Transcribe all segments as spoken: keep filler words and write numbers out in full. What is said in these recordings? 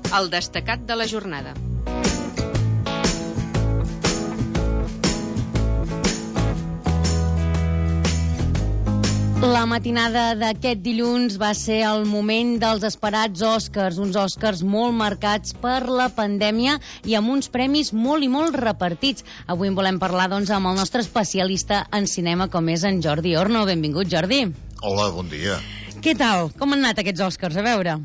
El destacat de la jornada. La matinada d'aquest dilluns va ser el moment dels esperats Oscars, uns Oscars molt marcats per la pandèmia i amb uns premis molt i molt repartits. Avui en volem parlar, doncs, amb el nostre especialista en cinema, com és en Jordi Orno. Benvingut, Jordi. Hola, bon dia. Què tal? Com han anat aquests Oscars? A veure.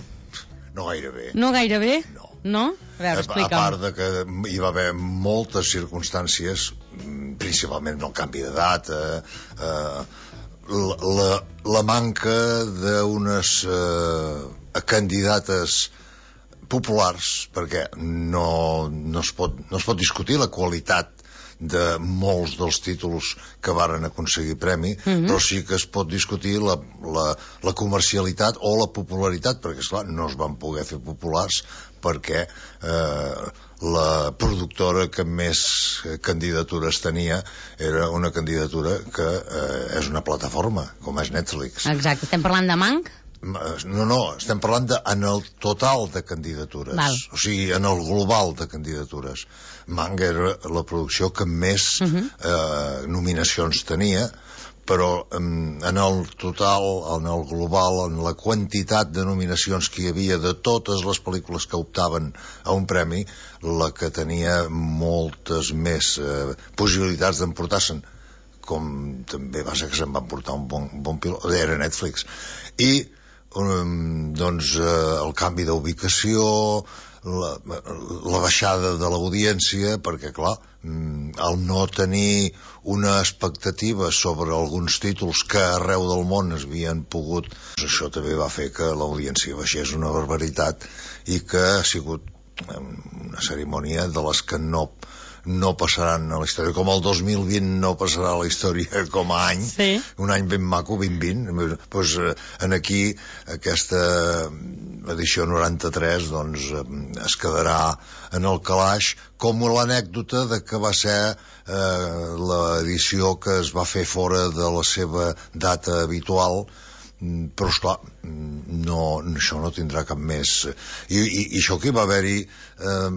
No gaire bé. No gaire bé? No. No? A veure, explica'm. A part de que hi va haver moltes circumstàncies, principalment el canvi d'edat, eh, eh, La, la, la manca d'unes eh, candidates populars, perquè no, no, es pot, no es pot discutir la qualitat de molts dels títols que varen aconseguir premi, mm-hmm. però sí que es pot discutir la, la, la comercialitat o la popularitat, perquè esclar, no es van poder fer populars perquè eh, la productora que més candidatures tenia era una candidatura que eh, és una plataforma, com és Netflix. Exacte. Estem parlant de Mank? No, no, estem parlant de, en el total de candidatures. Val. O sigui, en el global de candidatures. Mank era la producció que més uh-huh. eh, nominacions tenia, però en el total, en el global, en la quantitat de nominacions que hi havia de totes les pel·lícules que optaven a un premi, la que tenia moltes més eh, possibilitats d'emportar-se'n, com també va ser que se'n va emportar un bon, bon pilot, era Netflix. I um, doncs eh, el canvi d'ubicació, la, la baixada de l'audiència, perquè clar, el no tenir una expectativa sobre alguns títols que arreu del món es havien pogut, això també va fer que l'audiència baixés una barbaritat i que ha sigut una cerimònia de les que no no passaran a la història, com el dos mil vint no passarà a la història com a any, sí. Un any ben maco, vint vint, doncs en aquí aquesta edició noranta-tres doncs es quedarà en el calaix, com l'anècdota de que va ser eh, l'edició que es va fer fora de la seva data habitual, però esclar, no, això no tindrà cap més i, i, i això que hi va haver-hi eh,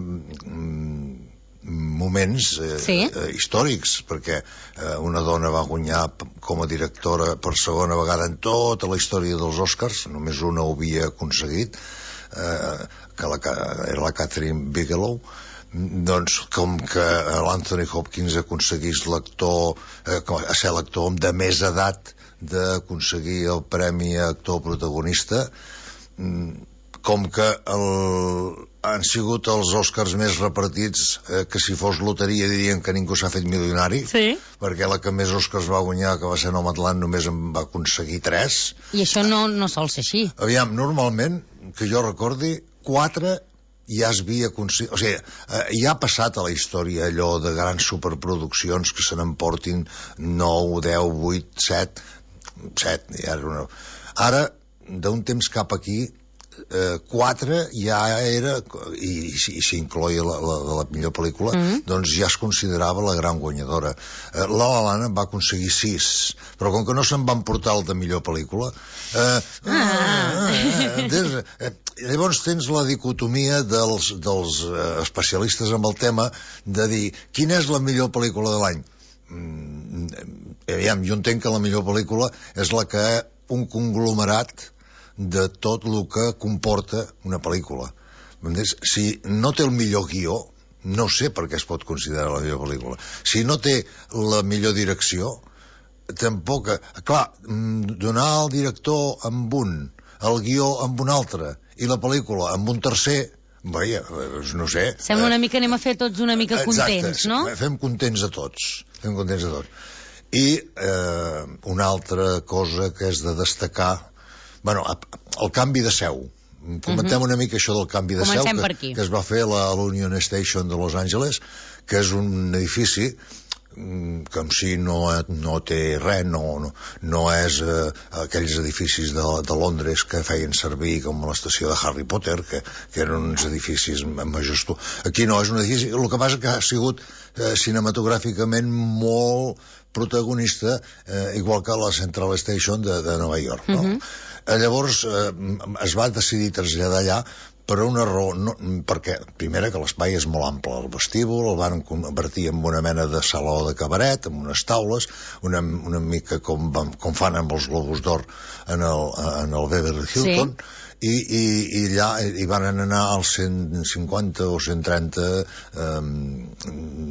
moments eh, sí. eh, històrics, perquè eh, una dona va guanyar com a directora per segona vegada en tota la història dels Oscars, només una ho havia aconseguit, eh, que la, era la Catherine Bigelow. Doncs com que l'Anthony Hopkins aconseguís l'actor eh, a ser l'actor de més edat d'aconseguir el premi a actor protagonista, com que el, han sigut els Oscars més repartits, eh, que si fos loteria dirien que ningú s'ha fet milionari, sí. Perquè la que més Oscars va guanyar, que va ser Nomadland, només en va aconseguir tres. I això no, no sol ser així. Aviam, normalment, que jo recordi, quatre ja es havia aconseguit, o sigui, eh, ja ha passat a la història allò de grans superproduccions que se n'emportin nou, deu, vuit, set, set, ja era una... Ara, d'un temps cap aquí, eh, quatre ja era, i, i s'incloia la, la, la millor pel·lícula, mm-hmm. doncs ja es considerava la gran guanyadora. Eh, La La Land va aconseguir sis, però com que no se'n van portar el de millor pel·lícula, eh, ah. eh, eh, eh, llavors tens la dicotomia dels, dels eh, especialistes en el tema de dir, quina és la millor pel·lícula de l'any? Mm, aviam, jo entenc que la millor pel·lícula és la que un conglomerat de tot el que comporta una pel·lícula. Si no té el millor guió, no sé per què es pot considerar la millor pel·lícula. Si no té la millor direcció, tampoc... Clar, donar al director amb un, el guió amb un altre, i la pel·lícula amb un tercer, vaja, no sé... Sembla una mica, anem a fer tots una mica contents, exacte, no? Fem contents a tots, fem contents a tots. I eh, una altra cosa que és de destacar, bueno, el canvi de seu. Comentem uh-huh. una mica això del canvi de Comencem seu que, que es va fer a la, a l'Union Station de Los Angeles, que és un edifici que en si no, no té res, no, no, no és eh, aquells edificis de, de Londres que feien servir com l'estació de Harry Potter, que, que eren uns edificis majestuosos. Aquí no, és un edifici... El que passa que ha sigut eh, cinematogràficament molt protagonista, eh, igual que la Central Station de, de Nova York, no? Uh-huh. Llavors eh, es va decidir traslladar allà per una raó, no, perquè, primera, que l'espai és molt ample, el vestíbul, el van convertir en una mena de saló de cabaret, amb unes taules, una, una mica com, com fan amb els Globus d'Or en el, en el Beverly Hilton, sí. I, i, i allà hi van anar als cent cinquanta o cent trenta eh,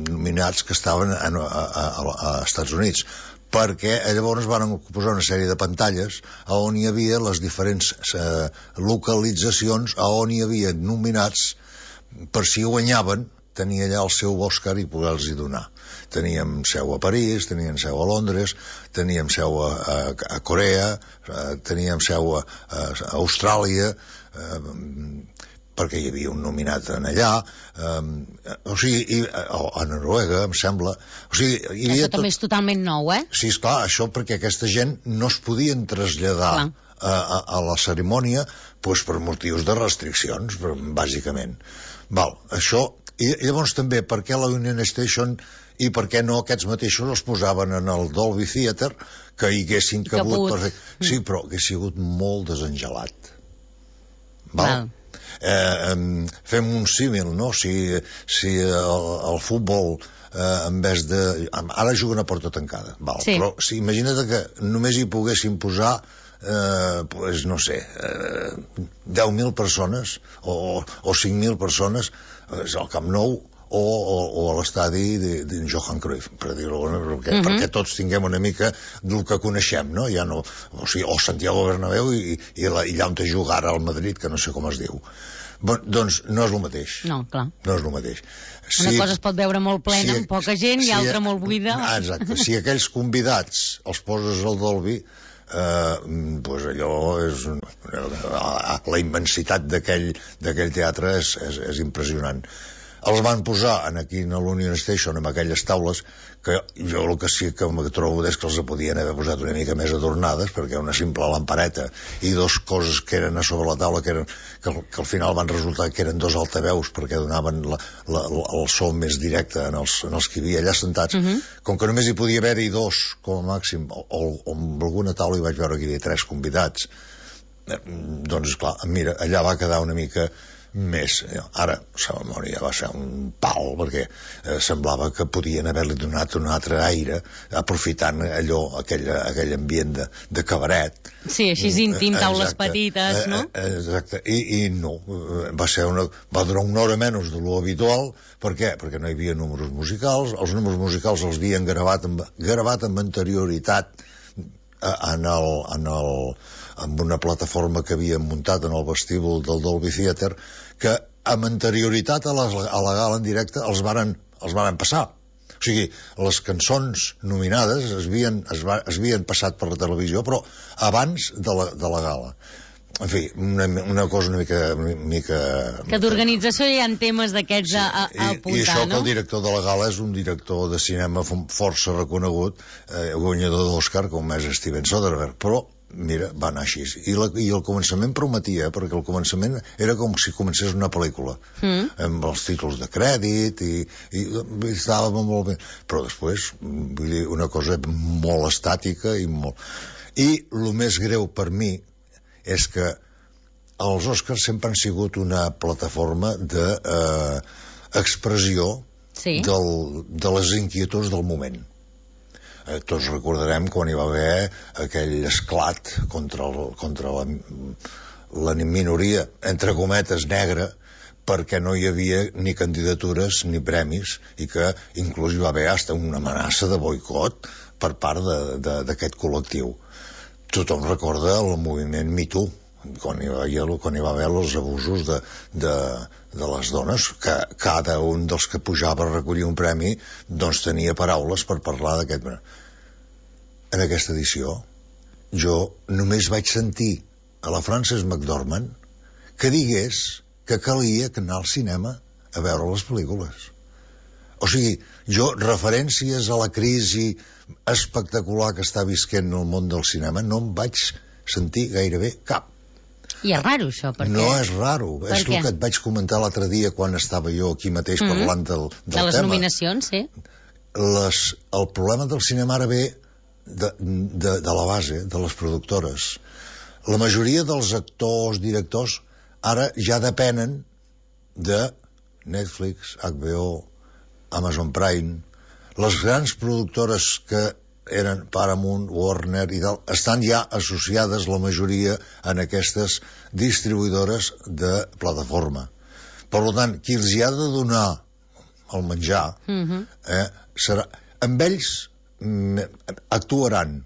nominats que estaven a, a, a, a Estats Units, perquè llavors van posar una sèrie de pantalles on hi havia les diferents eh, localitzacions on hi havia nominats per si guanyaven tenir allà el seu Òscar i poder-los donar. Teníem seu a París, teníem seu a Londres, teníem seu a, a, a Corea, a, teníem seu a, a, a Austràlia, a, perquè hi havia un nominat en allà, um, o sigui, i, o a Noruega, em sembla. O sigui, hi havia això també tot... és totalment nou, eh? Sí, esclar, això perquè aquesta gent no es podien traslladar a, a, a la cerimònia pues, per motius de restriccions, bàsicament. Val, això... I llavors també, per què la Union Station i per què no aquests mateixos els posaven en el Dolby Theatre, que hi haguessin cabut... Per... Sí, però hagués sigut molt desengelat. Val? Val. Eh, fem un símil, no? Si, si el, el futbol eh, en vez de... Ara juguen a porta tancada, val? Sí. Però si, imagina't que només hi poguessin posar eh, pues, no sé, eh, deu mil persones o, o cinc mil persones al Camp Nou o, o, o a l'estadi de, de Johan Cruyff, per dir-ho, perquè, uh-huh. perquè tots tinguem una mica del que coneixem, no? Ja no o, sigui, o Santiago Bernabéu i, i, la, i allà on te juga ara al Madrid, que no sé com es diu. Bon, doncs no és el mateix. No, clar. No és el mateix. Si, una cosa es pot veure molt plena, si, amb poca gent, si, i altra molt buida. Ah, exacte. Si aquells convidats els poses al Dolby, eh, pues allò és... La, la immensitat d'aquell teatre és, és, és impressionant. Els van posar en aquí a l'Union Station amb aquelles taules que jo el que sí que me trobo és que els podien haver posat una mica més adornades, perquè una simple lampareta i dos coses que eren a sobre la taula que, eren, que, que al final van resultar que eren dos altaveus perquè donaven la, la, el so més directe en els, en els que hi havia allà sentats. Uh-huh. Com que només hi podia haver-hi dos com a màxim, o, o, o amb alguna taula hi vaig veure que hi havia tres convidats, eh, doncs clar, mira, allà va quedar una mica més. Ara, la cerimònia va ser un pal, perquè eh, semblava que podien haver-li donat un altre aire, aprofitant allò, aquell, aquell ambient de, de cabaret. Sí, així íntim, taules exacte. Petites, no? Exacte, I, i no, va ser una... va durar una hora menys de lo habitual. Per què? Perquè no hi havia números musicals, els números musicals els havien gravat amb, gravat amb anterioritat en el... En el amb una plataforma que havien muntat en el vestíbul del Dolby Theatre, que amb anterioritat a la, a la gala en directe els varen, els varen passar. O sigui, les cançons nominades es havien, es, va, es havien passat per la televisió, però abans de la, de la gala. En fi, una, una cosa una mica... Una mica que d'organització hi ha temes d'aquests sí, a, a apuntar, i, i això no? Que el director de la gala és un director de cinema força reconegut, eh, guanyador d'Òscar, com és Steven Soderbergh, però mira, va anar així. I, la, I el començament prometia, perquè el començament era com si comencés una pel·lícula, mm. amb els títols de crèdit, i, i, i estava molt bé. Però després, vull dir, una cosa molt estàtica i molt... I el més greu per mi és que els Oscars sempre han sigut una plataforma d'expressió eh, sí. de les inquietuds del moment. Eh, tots recordarem quan hi va haver aquell esclat contra, el, contra la, la minoria, entre cometes, negra, perquè no hi havia ni candidatures ni premis i que inclús hi va haver hasta una amenaça de boicot per part d'aquest col·lectiu. Tothom recorda el moviment Me Too, quan hi va haver, quan hi va haver els abusos de, de, de les dones, que cada un dels que pujava a recollir un premi doncs tenia paraules per parlar d'aquest... En aquesta edició jo només vaig sentir a la Frances McDormand que digués que calia anar al cinema a veure les pel·lícules. O sigui, jo, referències a la crisi espectacular que està visquent el món del cinema, no em vaig sentir gairebé cap. I és raro, això, perquè... No és raro. Per és què? El que et vaig comentar l'altre dia quan estava jo aquí mateix mm-hmm. parlant del, del tema. De les tema. nominacions, sí. Les, el problema del cinema ara ve de, de, de la base, de les productores. La majoria dels actors, directors, ara ja depenen de Netflix, H B O, Amazon Prime. Les grans productores que eren Paramount, Warner i tal, estan ja associades la majoria en aquestes distribuïdores de plataforma. Per tant, qui els hi ha de donar el menjar, uh-huh. eh, serà... amb ells mm, actuaran,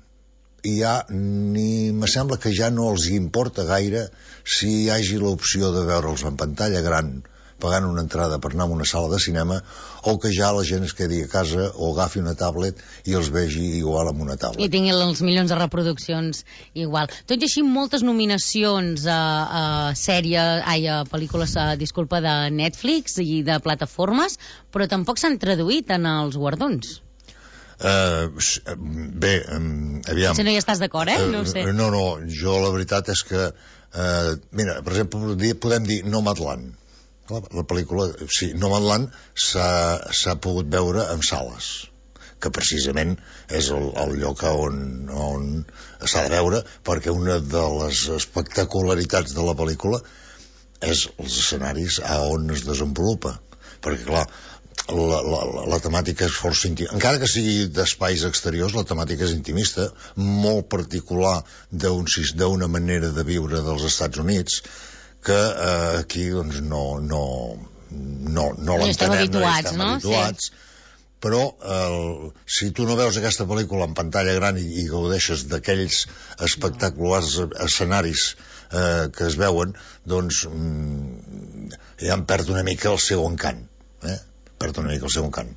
i ja ni me sembla que ja no els importa gaire si hi hagi l'opció de veure'ls en pantalla gran pagant una entrada per anar a una sala de cinema, o que ja la gent es quedi a casa o agafi una tablet i els vegi igual amb una tablet. I tinguin els milions de reproduccions igual. Tot i així, moltes nominacions a, a sèrie, ai, a pel·lícules, a, disculpa, de Netflix i de plataformes, però tampoc s'han traduït en els guardons. Uh, bé, um, aviam... Si no hi estàs d'acord, eh? No ho sé. Uh, no, no, jo la veritat és que... Uh, mira, per exemple, podem dir Nomadland. La pel·lícula, sí, Nomadland s'ha pogut veure en sales, que precisament és el, el lloc on, on s'ha de veure, perquè una de les espectacularitats de la pel·lícula és els escenaris a on es desenvolupa, perquè clar, la, la, la, la temàtica és força intimista, encara que sigui d'espais exteriors, la temàtica és intimista, molt particular d'una manera de viure dels Estats Units, que eh, aquí doncs no no, no, no l'entenem, estem habituats, no estem habituats, sí. Però eh, si tu no veus aquesta pel·lícula en pantalla gran i, i gaudeixes d'aquells espectaculars escenaris eh, que es veuen, doncs mm, ja em perd una mica el seu encant, eh? perd una mica el seu encant.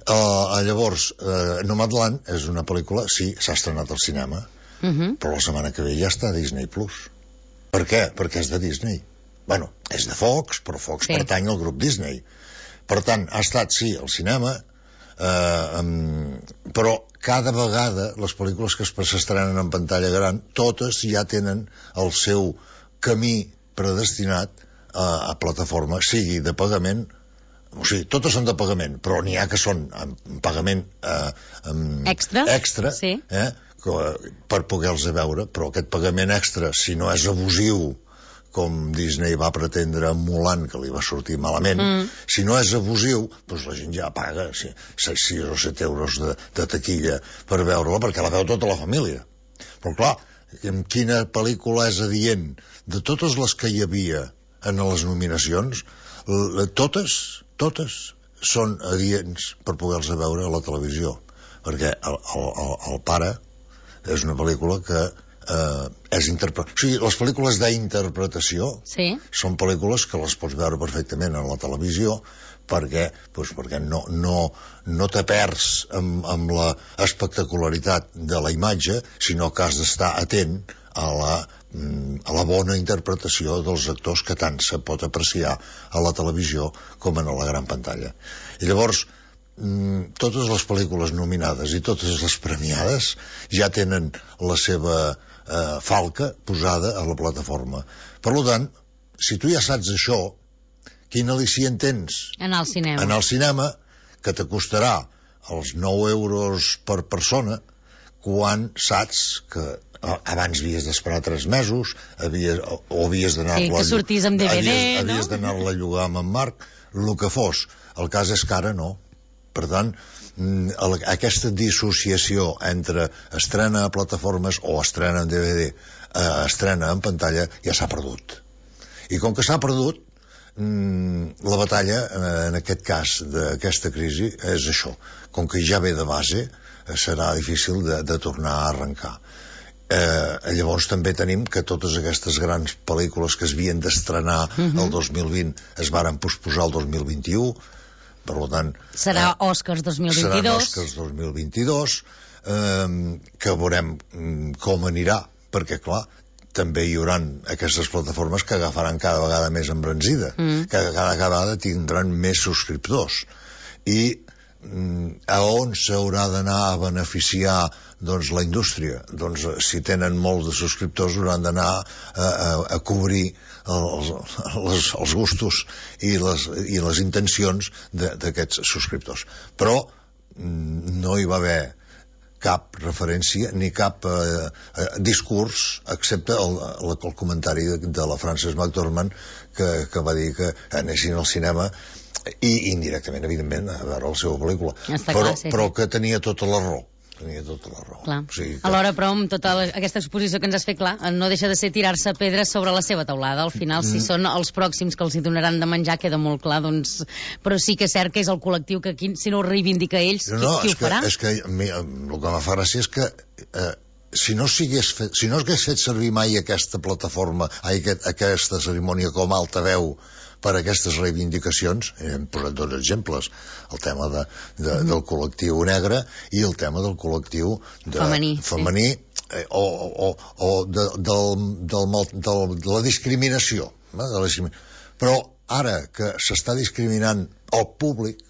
Uh, llavors, uh, Nomadland és una pel·lícula, sí, s'ha estrenat al cinema, uh-huh. però la setmana que ve ja està a Disney Plus. Per què? Perquè és de Disney. Bueno, és de Fox, però Fox sí. pertany al grup Disney. Per tant, ha estat, sí, al cinema, eh, um, però cada vegada les pel·lícules que s'estrenen en pantalla gran, totes ja tenen el seu camí predestinat a, a plataforma, sigui de pagament, o sigui, totes són de pagament, però n'hi ha que són en pagament eh, um, extra, extra sí. eh, per poder-los veure, però aquest pagament extra, si no és abusiu, com Disney va pretendre amb Mulan, que li va sortir malament, mm. si no és abusiu, doncs la gent ja paga sis o set euros de, de taquilla per veure-la, perquè la veu tota la família. Però clar, quina pel·lícula és adient? De totes les que hi havia en les nominacions, totes, totes són adients per poder-los veure a la televisió, perquè el, el, el, el pare és una pel·lícula que eh, és interpretació. O sigui, les pel·lícules d'interpretació sí. són pel·lícules que les pots veure perfectament a la televisió perquè, doncs, perquè no, no, no te perds amb, amb la espectacularitat de la imatge, sinó que has d'estar atent a la, a la bona interpretació dels actors, que tant se pot apreciar a la televisió com en la gran pantalla. I llavors, totes les pel·lícules nominades i totes les premiades ja tenen la seva eh, falca posada a la plataforma. Per tant, si tu ja saps això, quin al·licient tens? Anar al cinema. Anar al cinema, que t'acostarà els nou euros per persona, quan saps que abans havies d'esperar tres mesos, havies, o havies d'anar-la... Sí, que sortís amb D V D, havies, no? Havies d'anar-la a llogar amb en Marc, el que fos. El cas és que ara no. Per tant, aquesta dissociació entre estrena a plataformes o estrena en D V D, eh, estrena en pantalla, ja s'ha perdut. I com que s'ha perdut, la batalla, en aquest cas d'aquesta crisi, és això. Com que ja ve de base, serà difícil de, de tornar a arrencar. Eh, llavors també tenim que totes aquestes grans pel·lícules que es havien d'estrenar uh-huh. el dos mil vint es varen posposar el dos mil vint-i-u. Per tant, serà eh, Oscars dos mil vint-i-dos. Serà Oscars dos mil vint-i-dos, eh, que veurem com anirà, perquè, clar, també hi haurà aquestes plataformes que agafaran cada vegada més embranzida, mm. que cada vegada tindran més subscriptors. I a on s'haurà d'anar a beneficiar doncs, la indústria? Doncs si tenen molts de subscriptors hauran d'anar a, a, a cobrir els, els, els gustos i les, i les intencions d'aquests subscriptors. Però no hi va haver cap referència ni cap eh, eh, discurs, excepte el, el, el comentari de, de la Frances McDormand que, que va dir que anessin al cinema i indirectament, evidentment, a veure la seva pel·lícula. Està però, clar, sí, però sí. que tenia tota la raó. Tenia tota la raó. Clar. O sigui que... Alhora, però, amb tota la, aquesta exposició que ens has fet, clar, no deixa de ser tirar-se pedres sobre la seva taulada. Al final, mm. si són els pròxims que els hi donaran de menjar, queda molt clar, doncs... Però sí que és cert que és el col·lectiu que, qui, si no ho reivindica ells, no, no, qui, qui ho que, farà? És que mi, el que em fa gràcia és que eh, si no s'hagués fet, si no hagués fet servir mai aquesta plataforma, aquest, aquesta cerimònia com a altaveu per a aquestes reivindicacions, hem posat dos exemples, el tema de, de, mm. del col·lectiu negre i el tema del col·lectiu de, femení, femení sí. eh, o, o, o de, del, del, del, de la discriminació. Eh, de la discriminació. Però ara que s'està discriminant el públic,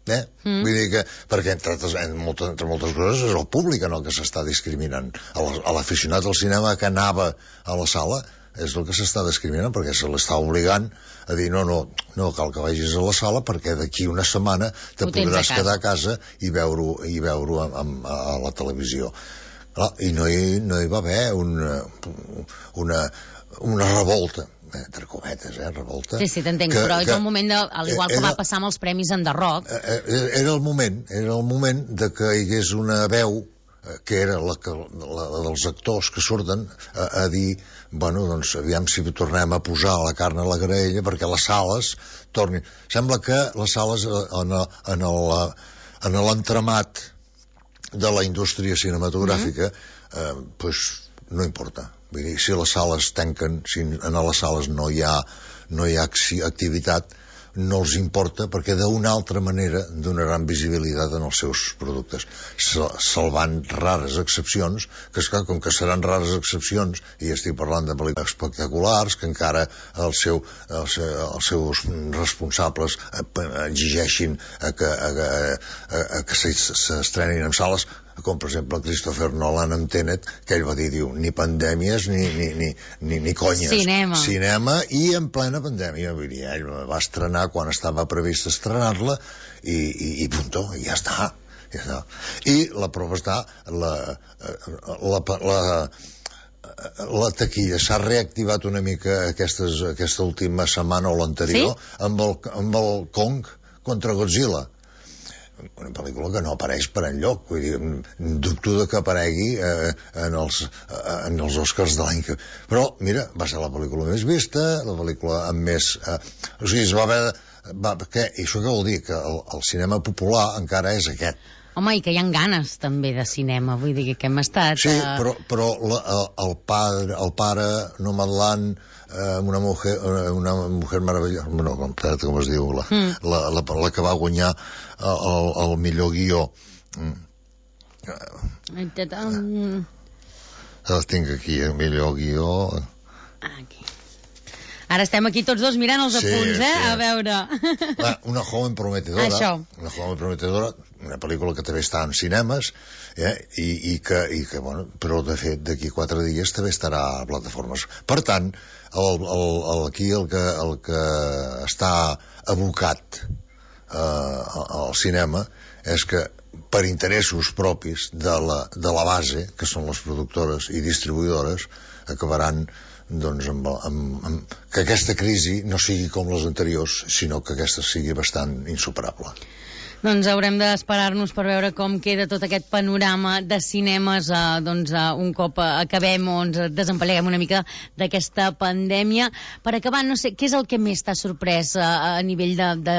eh? Mm. Vull dir que, perquè entre, en moltes, entre moltes coses és el públic en el que s'està discriminant. A l'aficionat al cinema que anava a la sala és el que s'està discriminant, perquè se l'està obligant a dir no, no, no cal que vagis a la sala perquè d'aquí una setmana te Ho podràs a quedar a casa i veure-ho i veure a, a, a la televisió. Clar, i no hi, no hi va haver una, una, una revolta, entre cometes, eh, revolta. Sí, sí, t'entenc, que, però és que, el moment, de, al igual que era, va passar amb els premis en The Rock. Era el moment, era el moment de que hi hagués una veu que era la, la, la dels actors que surten a, a dir, bueno, doncs aviam si tornem a posar la carn a la graella perquè les sales tornin. Sembla que les sales en, en, el, en l'entramat de la indústria cinematogràfica mm-hmm. eh, pues no importa. Vull dir, si les sales tanquen, si en les sales no hi ha, no hi ha activitat, no els importa perquè d'una altra manera donaran visibilitat en els seus productes, salvant rares excepcions, que esclar, com que seran rares excepcions, i estic parlant de pel·lícules espectaculars, que encara el seu, els, els seus responsables exigeixin a que, a, a, a que s'estrenin en sales, com per exemple Christopher Nolan amb Tenet, que ell va dir, diu, ni pandèmies ni, ni, ni, ni, ni conyes. Cinema. Cinema i en plena pandèmia. Vull dir, ell va estrenar quan estava previst estrenar-la i, i, i punto, i ja està. Ja està. I la prova està, la, la, la, la taquilla s'ha reactivat una mica aquestes, aquesta última setmana o l'anterior, sí? amb, el, amb el Kong contra Godzilla. Una pel·lícula que no apareix per enlloc, vull dir, dubto de que aparegui eh, en, els, eh, en els Oscars de l'any que... Però, mira, va ser la pel·lícula més vista, la pel·lícula amb més... Eh, o sigui, es va haver... Va, què? I això què vol dir? Que el, el cinema popular encara és aquest. Home, i que hi ha ganes també de cinema, vull dir que hem estat... Sí, uh... però, però la, el, el, padre, el pare Nomadland, eh, una mujer, una mujer meravellosa, no, com, com es diu, la, mm. la, la, la que va guanyar el, el millor guió. Mm. El tinc aquí, el millor guió... Aquí. Ara estem aquí tots dos mirant els sí, apunts, eh? Sí. A veure... Va, una joven prometedora. Això. Una joven prometedora, una pel·lícula que també està en cinemes, eh? I, i, que, i que, bueno, però de fet d'aquí quatre dies també estarà a plataformes. Per tant, el, el, el, aquí el que, el que està abocat eh, al cinema és que per interessos propis de la, de la base, que són les productores i distribuïdores, acabaran doncs amb, amb, amb, que aquesta crisi no sigui com les anteriors, sinó que aquesta sigui bastant insuperable. Doncs haurem d'esperar-nos per veure com queda tot aquest panorama de cinemes eh, doncs, eh, un cop acabem o ens desempalleguem una mica d'aquesta pandèmia. Per acabar, no sé, què és el que més t'ha sorprès eh, a nivell de, de,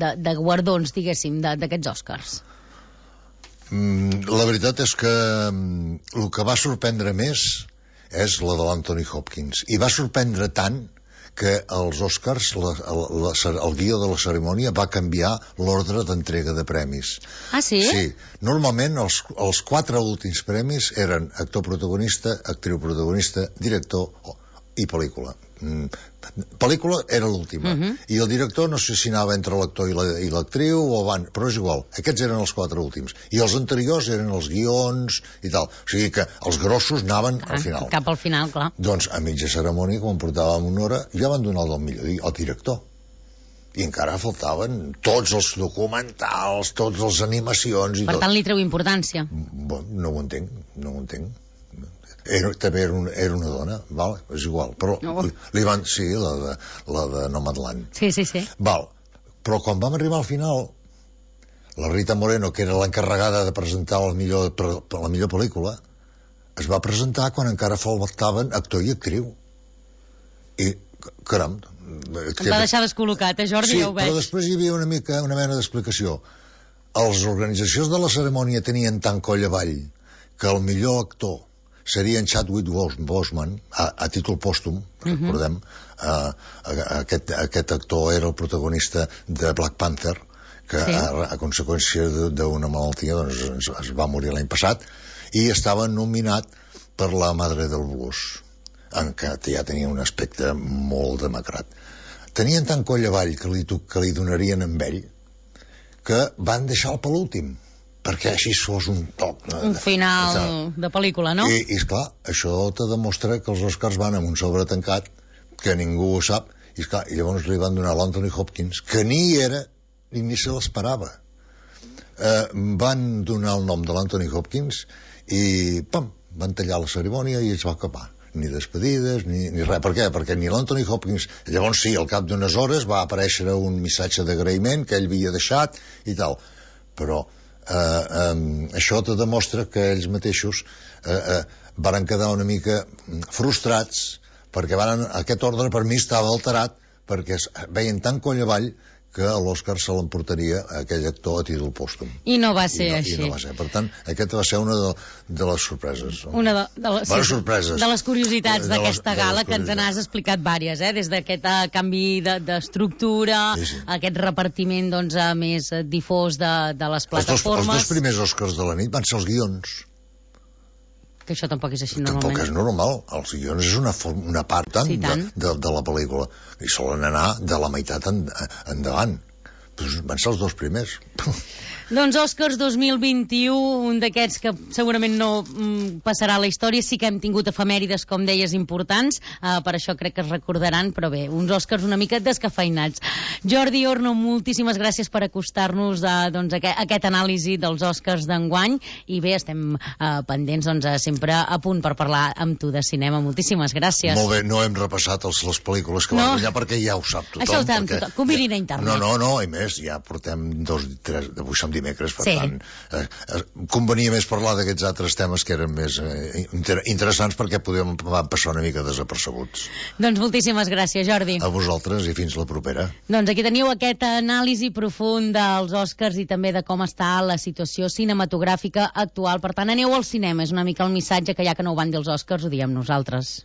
de, de guardons, diguéssim, d'aquests Oscars? Mm, la veritat és que mm, el que va sorprendre més és la de l'Anthony Hopkins. I va sorprendre tant que els Oscars, la, la, el guió de la cerimònia va canviar l'ordre d'entrega de premis. Ah, sí? Sí. Normalment els, els quatre últims premis eren actor protagonista, actriu protagonista, director i pel·lícula. Mm, pel·lícula era l'última. Uh-huh. I el director no sé si anava entre l'actor i l'actriu o van, però és igual. Aquests eren els quatre últims. I els anteriors eren els guions i tal. O sigui que els grossos anaven ah, al final. Cap al final, clar. Doncs a mitja cerimònia, quan portàvem una hora, ja van donar el del millor, el director. I encara faltaven tots els documentals, tots les animacions... I per tot. tant, li treu importància. Bon, no ho entenc, no ho entenc. Era, també era, un, era una dona, val? És igual. Però no. li, li van... Sí, la de, la de Nomadland. Sí, sí, sí. Val. Però quan vam arribar al final, la Rita Moreno, que era l'encarregada de presentar la millor, la millor pel·lícula, es va presentar quan encara faltaven actor i actriu. I, caram... Em va deixar descol·locat, eh, Jordi? Sí, ja ho veig. però després hi havia una mica, una mena d'explicació. Els organitzacions de la cerimònia tenien tant coll avall que el millor actor seria en Chadwick Boseman, a, a títol pòstum, uh-huh. recordem, uh, aquest, aquest actor era el protagonista de Black Panther, que sí. a, a conseqüència d'una malaltia doncs, es, es va morir l'any passat, i estava nominat per La Madre del Blues, en què ja tenia un aspecte molt demacrat. Tenien tant coll avall que li, que li donarien amb ell que van deixar-lo per l'últim, perquè així fos un toc. Un final de, de pel·lícula, no? I, i esclar, això te demostra que els Oscars van amb un sobre tancat, que ningú ho sap, i, esclar, i llavors li van donar l'Anthony Hopkins, que ni era ni, ni se l'esperava. Eh, van donar el nom de l'Anthony Hopkins i, pam, van tallar la cerimònia i es va acabar. Ni despedides, ni, ni res. Per què? Perquè ni l'Anthony Hopkins... Llavors sí, al cap d'unes hores va aparèixer un missatge d'agraïment que ell havia deixat i tal. Però eh, eh, això te demostra que ells mateixos eh, eh, varen quedar una mica frustrats perquè varen, aquest ordre per mi estava alterat perquè veien tan coll avall que a l'Òscar se l'emportaria aquell actor a títol pòstum. I no va ser I no, així. I no va ser. Per tant, aquesta va ser una de, de les sorpreses. Una de, de, les, Bones sí, sorpreses. De les curiositats d'aquesta gala, que ens curiositats. n'has explicat vàries, eh? Des d'aquest uh, canvi d'estructura, de, sí, sí. aquest repartiment doncs, uh, més uh, difós de, de les plataformes... Els dos, els dos primers Oscars de la nit van ser els guions. Que això tampoc és així normalment. Tampoc és normal. Els guions és una, una part tant, sí, tant. De, de, de la pel·lícula. I solen anar de la meitat en, endavant. Pues van ser els dos primers. Doncs Oscars dos mil vint-i-u, un d'aquests que segurament no mm, passarà a la història. Sí que hem tingut efemèrides, com deies, importants, uh, per això crec que es recordaran, però bé, uns Oscars una mica descafeinats. Jordi Orno, moltíssimes gràcies per acostar-nos a doncs, aquest, aquest anàlisi dels Oscars d'enguany, i bé, estem uh, pendents doncs, sempre a punt per parlar amb tu de cinema. Moltíssimes gràcies. Molt bé, no hem repassat els, les pel·lícules que no. van guanyar perquè ja ho sap tothom. Això ho sap perquè... tothom, convidin a internet. No, no, no, i més, ja portem dos, tres, avui som dimecres, per sí. tant, eh, eh, convenia més parlar d'aquests altres temes que eren més eh, inter interessants perquè podíem passar una mica desapercebuts. Doncs moltíssimes gràcies, Jordi. A vosaltres i fins la propera. Doncs aquí teniu aquest anàlisi profund dels Oscars i també de com està la situació cinematogràfica actual. Per tant, aneu al cinema, és una mica el missatge que ja que no ho van dir els Oscars, ho diem nosaltres.